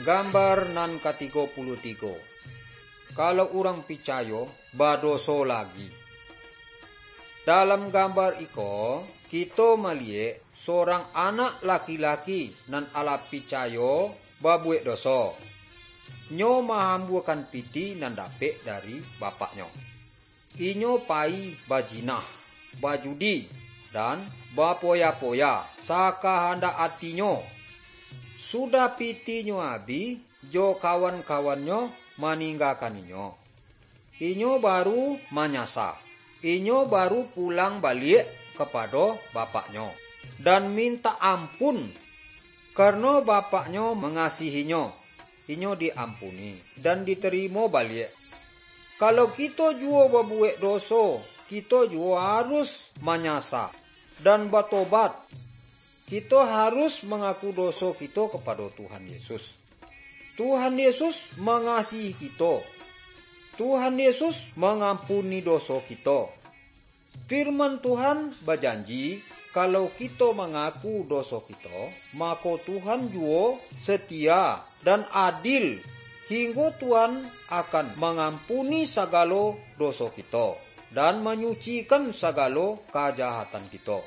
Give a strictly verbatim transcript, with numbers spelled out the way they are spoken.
Gambar nan katigo puluah tigo. Kalau urang picayo badoso lagi. Dalam gambar iko, kito maliyek surang anak laki-laki nan alah picayo babuwek doso. Nyo mahambuakan pitih nan dapek dari bapaknyo. Inyo payi bajinah, bajudi, dan bapoya-poya sakahandak atinyo. Sudah pitihnyo abih, jo kawan-kawannyo maninggakan inyo. Inyo baru manyasa. Inyo baru pulang baliak kapado bapaknyo, dan mintak ampun. Karano bapaknyo mangasihinyo, inyo diampuni, dan ditarimo baliak. Kalau kito juwo babuwek doso, kito juwo harus manyasa dan batobat. Kito harus mangaku doso kito kapado Tuhan Yesus. Tuhan Yesus mangasihi kito. Tuhan Yesus mangampuni doso kito. Firman Tuhan bajanji, kalau kito mangaku doso kito, mako Tuhan juwo setia dan adil, hinggo Tuhan akan mangampuni sagalo doso kito, dan manyucikan sagalo kajahatan kito.